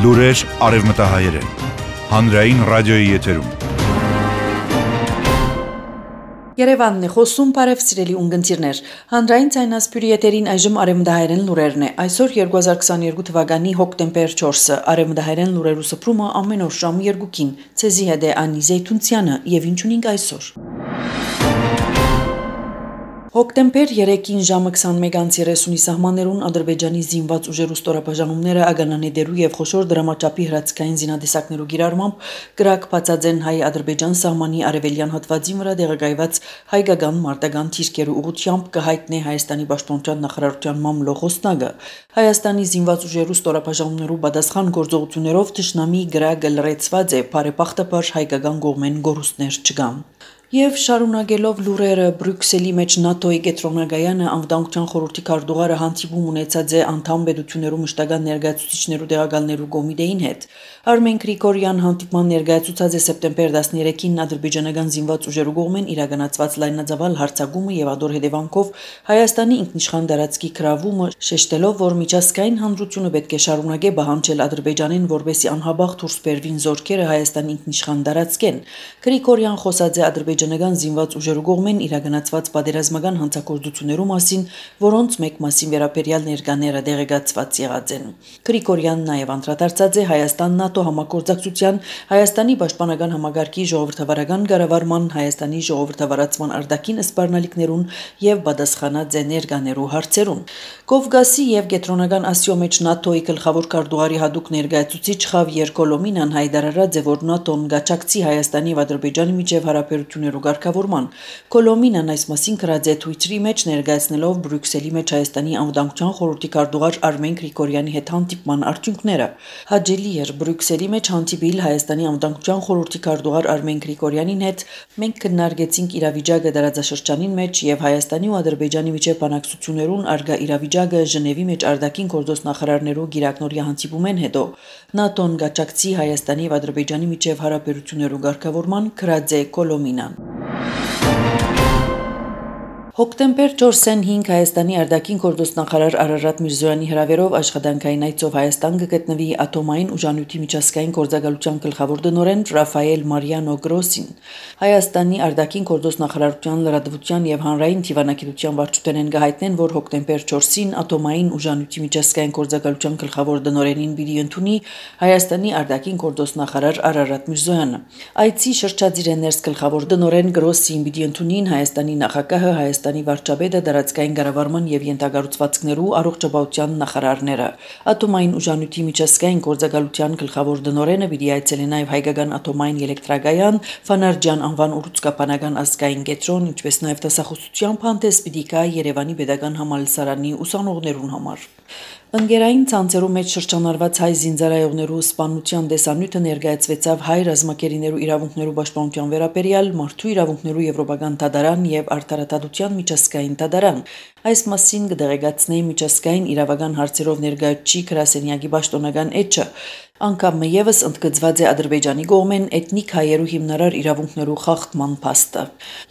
Լուրեր արևմտահայերեն, հանրային ռադիոյի եթերում։ Երևանն է խոսում, բարև սիրելի ունգընտիրներ։ Հանրային ցայնասպյուրի եթերին այժմ արևմտահայերեն լուրերն է։ Այսօր 2022 թվականի հոկտեմբեր 4-ը արևմտահայերեն լուրերու սփռումը ամեն օր ժամը 2-ին։ Ցեզի հետ է Անի Զեյթունցյանը եւ ինչ ունենք այսօր։ Հոկտեմբեր 3-ին ժամը 21:30-ի սահմաններուն Ադրբեջանի զինված ուժերու ստորաբաժանումները ագանանեդերու եւ խոշոր դրամաչափի հրացքային զինադեսակներու գիրառմամբ կրակ բացած են հայ-ադրբեջան սահմանի արևելյան հատվածի վրա տեղակայված հայկական մարտական թիրքերու ուղղությամբ կհայտնի Հայաստանի պաշտպանության նախարարության մամլոխոսնագը Հայաստանի զինված ուժերու ստորաբաժանումներու պատասխան գործողություններով թշնամի գրակը լրացված է բարեբախտաբար հայկական կողմեն գորուստներ չկան։ Եվ շարունակելով լուրերը Բրյուսելի մեջ ՆԱՏՕ-ի կենտրոնագայանը անվտանգության խորհրդի քարտուղարը հանդիպում ունեցած է անդամ պետություններու մշտական ներկայացուցիչներու տեղակալներու կոմիտեին հետ։ Արմեն Գրիգորյան հանդիպման ներկայացուցած է սեպտեմբեր 13-ին ադրբեջանական զինված ուժերու կողմեն իրականացված լայնածավալ հարձակումը եւ ադոր հետևանքով Հայաստանի ինքնիշխան տարածքի գրավումը, շեշտելով, որ միջազգային հանրությունը պետք է շարունակե պահանջել Ադրբեջանին, որպեսզի անհաբաղ դուրս բերվին զորքերը Հայաստանի ինքնիշխան տարածքեն։ Գրիգորյան խոսած է ադրբեջանական զինված ուժերու կողմեն իրականացված պատերազմական հանցագործություններու մասին, որոնց մեկ մասին վերաբերյալ ներկաները դեղեկացված եղած են։ Գրիգորյանն նաև անդրադարձած է Հայաստան-ՆԱՏՕ համագործակցության, Հայաստանի պաշտպանական համագարկի ժողովրդավարական կառավարման, Հայաստանի ժողովրդավարացման արտաքին սպառնալիքներուն եւ պատասխանած է ներկաներու հարցերուն։ Կովկասի եւ Կենտրոնական Ասիո մեջ ՆԱՏՕ-ի գլխավոր քարտուղարի հadoop ներկայացուցիչ Խավիեր Կոլոմինան հայտարարած է, որ ՆԱՏՕ-ն գաչակցի Հայաստանի եւ Ադրբեջանի միջև հարաբերություններու ղեկավարման։ Կոլոմինան այս մասին գրած է Twitter-ի մեջ ներկայացնելով Բրյուսելի մեջ Հայաստանի անվտանգության խորհրդի քարտուղար Արմեն Գրիգորյանի հետ հանդիպման արդյունքները։ Հաջելի էր Բրյուսելի մեջ հանդիպել Հայաստանի անվտանգության խորհրդի քարտուղար Արմեն Գրիգորյանին հետ։ Մենք քննարկեցինք իրավիճակը տարածաշրջանին մեջ եւ Հայաստանի ու Ադրբեջանի միջև բանակցություններուն արգա իրավիճակը Ժնևի մեջ արտաքին գործոս նախարարներու գիրակնորի հանդիպումեն հետո ՆԱՏՕ-ն գաչակցի Հայաստանի եւ Ադրբեջանի միջև հարաբերություններու ղեկավարման գրած է Կոլոմինան։ Հոկտեմբեր 4-ին Հայաստանի արտաքին գործոս նախարար Արարատ Միրզոյանի հրավերով աշխատանքային այցով Հայաստան կգտնվի ատոմային ուժանյութի միջազգային գործակալության գլխավոր տնօրեն Ռաֆայել Մարիանո Գրոսին։ Հայաստանի արտաքին գործոս նախարարության լրատվության եւ հանրային դիվանագիտության վարչությունեն գահիտնեն, որ հոկտեմբեր 4-ին ատոմային ուժանյութի միջազգային գործակալության գլխավոր տնօրենին պիտի ընդունի Հայաստանի արտաքին գործոս նախարար Արարատ Միրզոյանը։ Այցի շրջադիր ներս գլխավոր տնօրեն Գրոսին պիտի ընդունին Հայաստանի նախագահը, Հայաստանի վարչապետը, դարածքային կառավարման եւ յենթագառուցվածքներու առողջապահության նախարարները։ Ատոմային ուժանյութի միջազգային գործակալության գլխավոր տնօրենը պիտի այցելի նաեւ հայկական ատոմային էլեկտրակայան, Ֆանարջյան անվան ուռուցքապանական ազգային կենտրոն, ինչպես նաեւ դասախոսությամբ հանդես պիտի գա Երևանի Պետական համալսարանի ուսանողներուն համար։ Ընկերային ցանցերու մեջ շրջանառված հայ զինծառայողներու սպանության դեսանյութը ներկայացվեցավ հայ ռազմակերիներու իրավունքներու պաշտպանության վերաբերյալ մարդու իրավունքներու եվրոպական դատարան եւ արդարադատության միջազգային դատարան։ Այս մասին կդեղեկացնի միջազգային իրավական հարցերով ներկայացուցիչ գրասենյակի պաշտոնական էջը։ Անկամ եւս ընդգծված է Ադրբեջանի կողմեն էթնիկ հայերու հիմնարար իրավունքներու խախտման փաստը։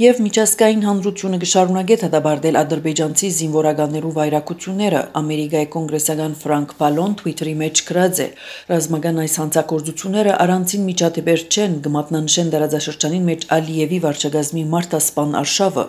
Եվ միջազգային հանրությունը կշարունակի դադարել ադրբեջանցի զինվորականներու վայրակությունները։ Ամերիկայի կոնգրեսական Ֆրանկ Բալոն Twitter-ի մեջ գրած է. ռազմական այս հանցագործությունները առանցին միջադեպեր չեն, կմատնանշեն տարածաշրջանին մեջ Ալիևի վարչագազմի մարտասպան արշավը։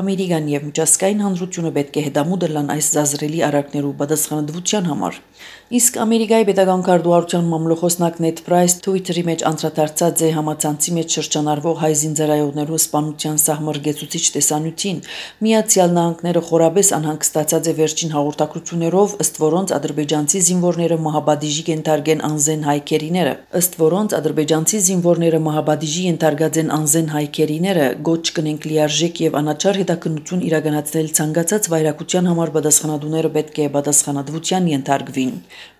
Ամերիկան եւ միջազգային հանրությունը պետք է հետամուտ լան այս զազրելի արարքներու պատասխանատվության համար։ Իսկ Ամերիկայի պետական քարտուղարության մամլոխոսնակ Նեդ Պրայս Twitter-ի մեջ անդրադարձած է համացանցի մեջ շրջանառվող հայ զինծառայողներու սպանության սահմռգեցուցիչ տեսանյութին։ Միացյալ Նահանգները խորաբես անհանգստացած է վերջին հաղորդակցություններով, ըստ որոնց ադրբեջանցի զինվորները մահապատիժի կենթարկեն անզեն հայքերիները։ Ըստ որոնց ադրբեջանցի զինվորները մահապատիժի ենթարկած են անզեն հայքերիները, գոչ կնենք լիարժեք եւ անաչառ հետաքննություն իրականացնել ցանկացած վայրակության համար պատասխանատուները պետք է պատասխանատվության ենթարկվին։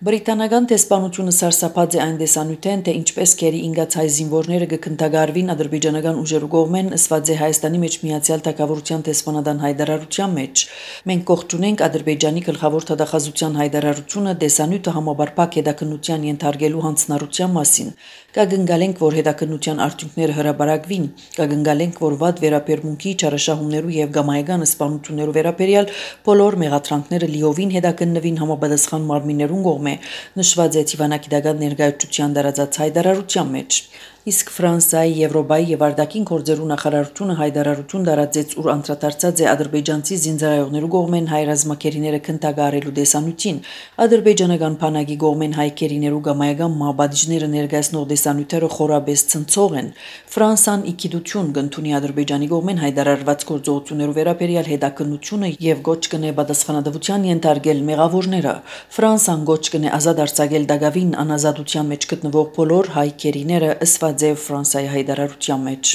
Բրիտանական տեսփանությունը սարսափած է այն տեսանյութեն, թե ինչպես կերի ինգած հայ զինվորները կքննադարվին ադրբեջանական ուժերու կողմեն, ըսված է Հայաստանի մեջ միացյալ թագավորության տեսփանադան հայտարարության մեջ։ Մենք կողջունենք Ադրբեջանի գլխավոր թագախազության հայտարարությունը տեսանյութը համապարփակ հետաքննության ենթարկելու հանձնառության մասին։ Կգնգալենք, որ հետաքննության արդյունքները հրաբարակվին, կգնգալենք, որ վատ վերաբերմունքի, չարաշահումներու եւ գամայական սպանություններու վերաբերյալ բոլոր մեղադրանքները լիովին հետաքննվին համապատասխան մարմիններուն կողմէ, նշված է դիվանագիտական ներկայացության դարածած հայտարարության մեջ։ Իսկ Ֆրանսիայի, Եվրոպայի եւ արտաքին գործերու նախարարությունը հայտարարություն տարածեց, ուր անդրադարձած է ադրբեջանցի զինծառայողներու կողմեն հայ ռազմակերիները քննարկարելու դեսանյութին։ Ադրբեջանական բանակի կողմեն հայ կերիներու գամայական մահապատիժները ներկայացնող դեսանյութերը խորաբես ցնցող են։ Ֆրանսան իքիդություն կընդունի Ադրբեջանի կողմեն հայտարարված գործողություններու վերաբերյալ հետաքննությունը եւ գոչ կնե պատասխանատվության ենթարկել մեղավորները։ Ֆրանսան գոչ կնե ազատ արձակել դակավին անազատության մեջ գտնվող բոլոր հայ կերիները ըստ Ֆրանսիայի հայտարարության մեջ։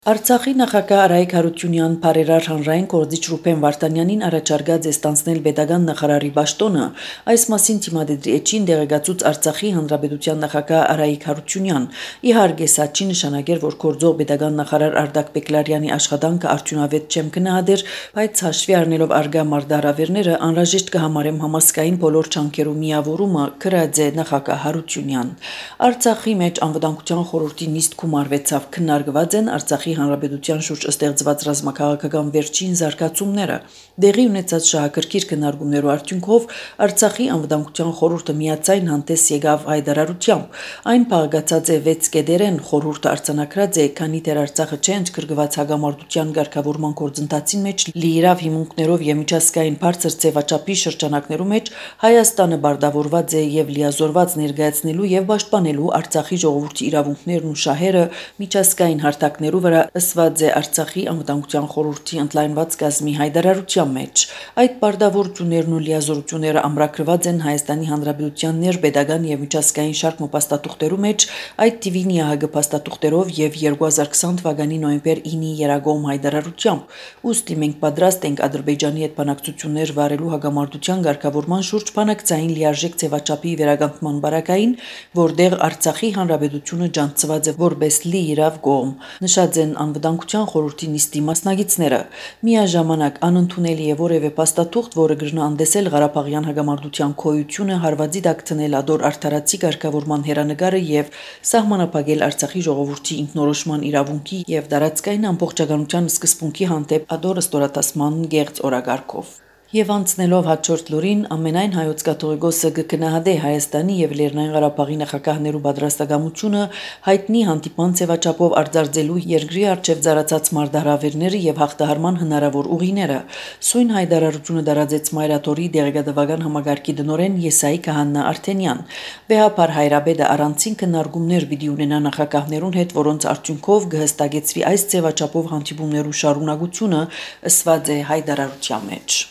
Արցախի նախագահ Արայիկ Հարությունյան բարերար հանրային գործիչ Ռուբեն Վարդանյանին առաջարկած է ստանձնել պետական նախարարի պաշտոնը, այս մասին թիմադեդի էջին դեղեկացուց Արցախի հանրապետության նախագահ Արայիկ Հարությունյան։ Իհարկե, սա չի նշանակել, որ գործող պետական նախարար Արտակ Բեկլարյանի աշխատանքը արդյունավետ չեմ գնահատեր, բայց հաշվի առնելով արգա մարտահրավերները անհրաժեշտ կհամարեմ համասկային բոլոր չանքերու միավորումը, գրած է նախագահ Հարությունյան։ Արցախի մեջ անվտանգության խորհրդի նիստ գումարվեցավ, քննարկված են Արցախի Հանրապետության շուրջ ստեղծված ռազմաքաղաքական վերջին զարգացումները։ Դեղի ունեցած շահագրգիռ քննարկումներու արդյունքով Արցախի անվտանգության խորհուրդը միացայն հանդես եկավ հայտարարությամբ։ Այն փաղկացած է 6 կետերեն, խորհուրդը արձանագրած է, քանի դեռ Արցախը չէ ընդգրկված հագամարտության ղեկավարման գործընթացին մեջ լիիրավ հիմունքներով եւ միջազգային բարձր ձևաչափի շրջանակներու մեջ Հայաստանը բարտավորված է եւ լիազորված ներկայացնելու եւ պաշտպանելու Արցախի ժողովրդի իրավունքներն ու շահերը միջազգային հարթակներու վրա ըսված է Արցախի անվտանգության խորհրդի ընդլայնված կազմի հայտարարության մեջ։ Այդ պարտավորություններն ու լիազորությունները ամրագրված են Հայաստանի Հանրապետության ներպետական եւ միջազգային շարք փաստաթուղթերու մեջ, այդ թիվին ՀՀԳ փաստաթուղթերով եւ 2020 թվականի նոյեմբեր 9-ի երագոմ հայտարարությամբ։ Ուստի մենք պատրաստ ենք Ադրբեջանի հետ բանակցություններ վարելու հագամարտության ղեկավարման շուրջ բանակցային լիարժեք ձևաչափի վերականգնման բարակային, որտեղ Արցախի Հանրապետությունը ջանցված է որպես լիիրավ կողմ, նշած են անվտանգության խորհրդի նիստի մասնակիցները։ Միաժամանակ անընդունելի է որևէ փաստաթուղթ, որը կրնա անդեսել Ղարաբաղյան հագամարտության քոյությունը, հարվածի տակ դնել ադոր արդարացի ղեկավարման հերանեկարը եւ սահմանափակել Արցախի ժողովրդի ինքնորոշման իրավունքի եւ տարածքային ամբողջականության սկզբունքի հանդեպ ադոր ստորատասման գեղձ օրակարգով։ Եվ անցնելով հաջորդ լուրին, ամենայն հայոց կաթողիկոսը կգնահատե Հայաստանի եւ Լեռնային Ղարաբաղի նախագահներու պատրաստակամությունը հայտնի հանդիպման ձևաչափով արձարծելու երկրի արչեւ ծառացած մարտահրավերները եւ հաղթահարման հնարավոր ուղիները։ Սույն հայտարարությունը տարածեց Մայրաթորի դեղեկատվական համագարկի դնորեն Եսայի Քահանա Արթենյան։ Վեհապար Հայրաբեդը առանցին քննարկումներ պիտի ունենա նախագահներուն հետ, որոնց արդյունքով կհստակեցվի այս ձևաչափով հանդիպումներու շարունակությունը, ըսված է հայտարարության մեջ։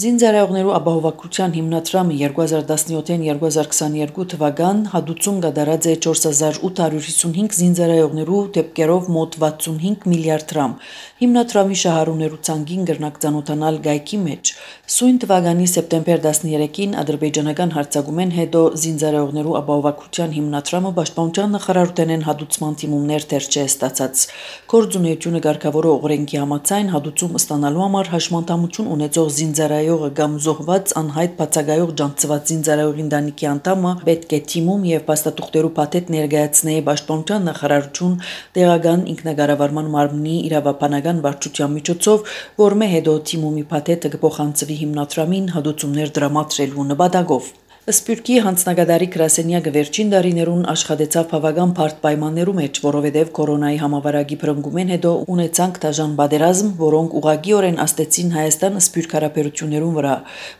Զինծառայողներու ապահովակության հիմնադրամը 2017-2022 թվական հատուցում կատարած է 4855 զինծառայողներու դեպքերով մոտ 65 միլիարդ դրամ։ Հիմնադրամի շահառուներու ցանկին կրնակ ծանոթանալ գայքի մեջ։ Սույն թվականի սեպտեմբեր 13-ին ադրբեջանական հարձակումեն հետո զինծառայողներու ապահովակության հիմնադրամը պաշտպանության նախարարութենեն հատուցման թիմումներ դեռ չէ ստացած։ Գործունեությունը ղեկավարող օրենքի համաձայն հատուցում ստանալու համար հաշմանդամություն ունեցող զինծառայողը կամ զոհված անհայտ բացակայող ջանցված զինծառայողի ընտանիքի անդամը պետք է թիմում եւ փաստաթուղթերու փաթեթ ներկայացնե պաշտպանության նախարարություն տեղական ինքնակառավարման մարմնի իրավաբանական վարչության միջոցով, որմե հետո թիմումի փաթեթը կփոխանցվի հիմնադրամին հատուցումներ դրամատրելու նպատակով։ Սպյուրքի հանձնագետարի գրասենյակը վերջին տարիներուն աշխատեցավ բավական բարդ պայմաններու մեջ, որովհետև կորոնայի համավարակի փրկումեն հետո ունեցանք դաժան պատերազմ, որոնք ուղղակիորեն աստեցին Հայաստան սպյուրք հարաբերություններուն վրա,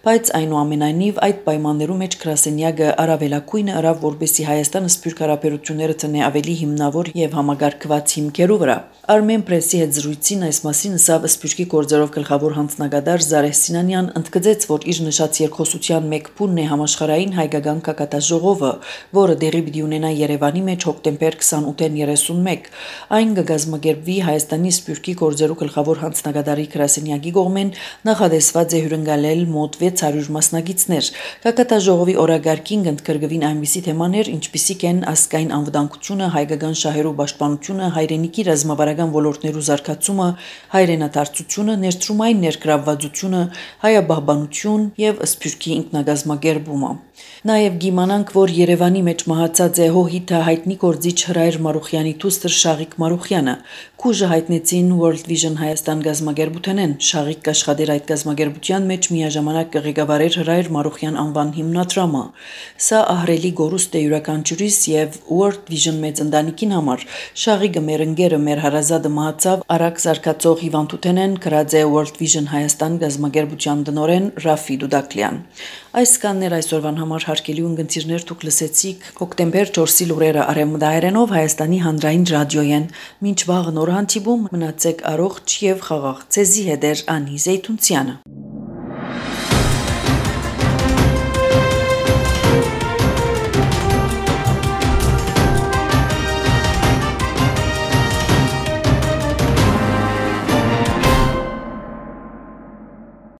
բայց այնուամենայնիվ այդ պայմաններու մեջ գրասենյակը առավելակույնը արավ, որպեսզի Հայաստան սպյուրք հարաբերությունները տնե ավելի հիմնավոր եւ համագարկված հիմքերու վրա։ Armen Press-ի հետ զրույցին այս մասին ասավ սպյուրքի գործերով գլխավոր հանձնագետար Զարեհ Սինանյան, ընդգծեց, որ իր նշած երկխոսության մեկ փունն է համաշխարհային հայկական կակատաժողովը, որը դեղի պիտի ունենա Երևանի մեջ հոկտեմբեր 28-ին 31։ Այն կգազմագերբվի Հայաստանի սպյուրքի գործերու գլխավոր հանձնագետարի գրասենյակի կողմեն, նախադեсված է հյուրընկալել մոտ 600 մասնակիցներ։ Կակատաժողովի օրագարկին կընդգրկվին այնպիսի թեմաներ, ինչպիսիք են ազգային անվտանգությունը, հայկական շահերու պաշտպանությունը, հայրենիքի ռազմավարական ոլորտներու զարգացումը, հայրենադարձությունը, ներդրումային ներգրավվածությունը, հայաբահբանություն եւ սպյուրքի ինքնագազմագերբումը։ Նաև գիմանանք, որ Երևանի մեջ մահացած է հոհիթը հայտնի գործիչ Հրայր Մարուխյանի դուստր Շաղիկ Մարուխյանը։ Քուժը հայտնեցին World Vision Հայաստան գազագերբութենեն։ Շաղիկ աշխատեր այդ գազագերբության մեջ միաժամանակ ղեկավարեր Հրայր Մարուխյան անվան հիմնադրամը։ Սա ահռելի գորուստ է յուրաքանչյուրիս եւ World Vision մեծ ընտանիքին համար։ Շաղիկը մեր ընկերը, մեր հարազատը մահացավ արագ զարգացող հիվանդութենեն, գրած է World Vision Հայաստան գազագերբության տնօրեն Ռաֆի Դուդակլյան։ Այս կաններ այսօրվան համար հարկելի ունգընտիրներ դուք լսեցիք հոկտեմբեր 4-ի լուրերը արևմտահայերենով Հայաստանի հանրային ռադիոյեն։ Մինչ վաղը նոր հանդիպում մնացեք առողջ եւ խաղաղ։ Ձեզի հետ է Անի Զեյթունցյանը։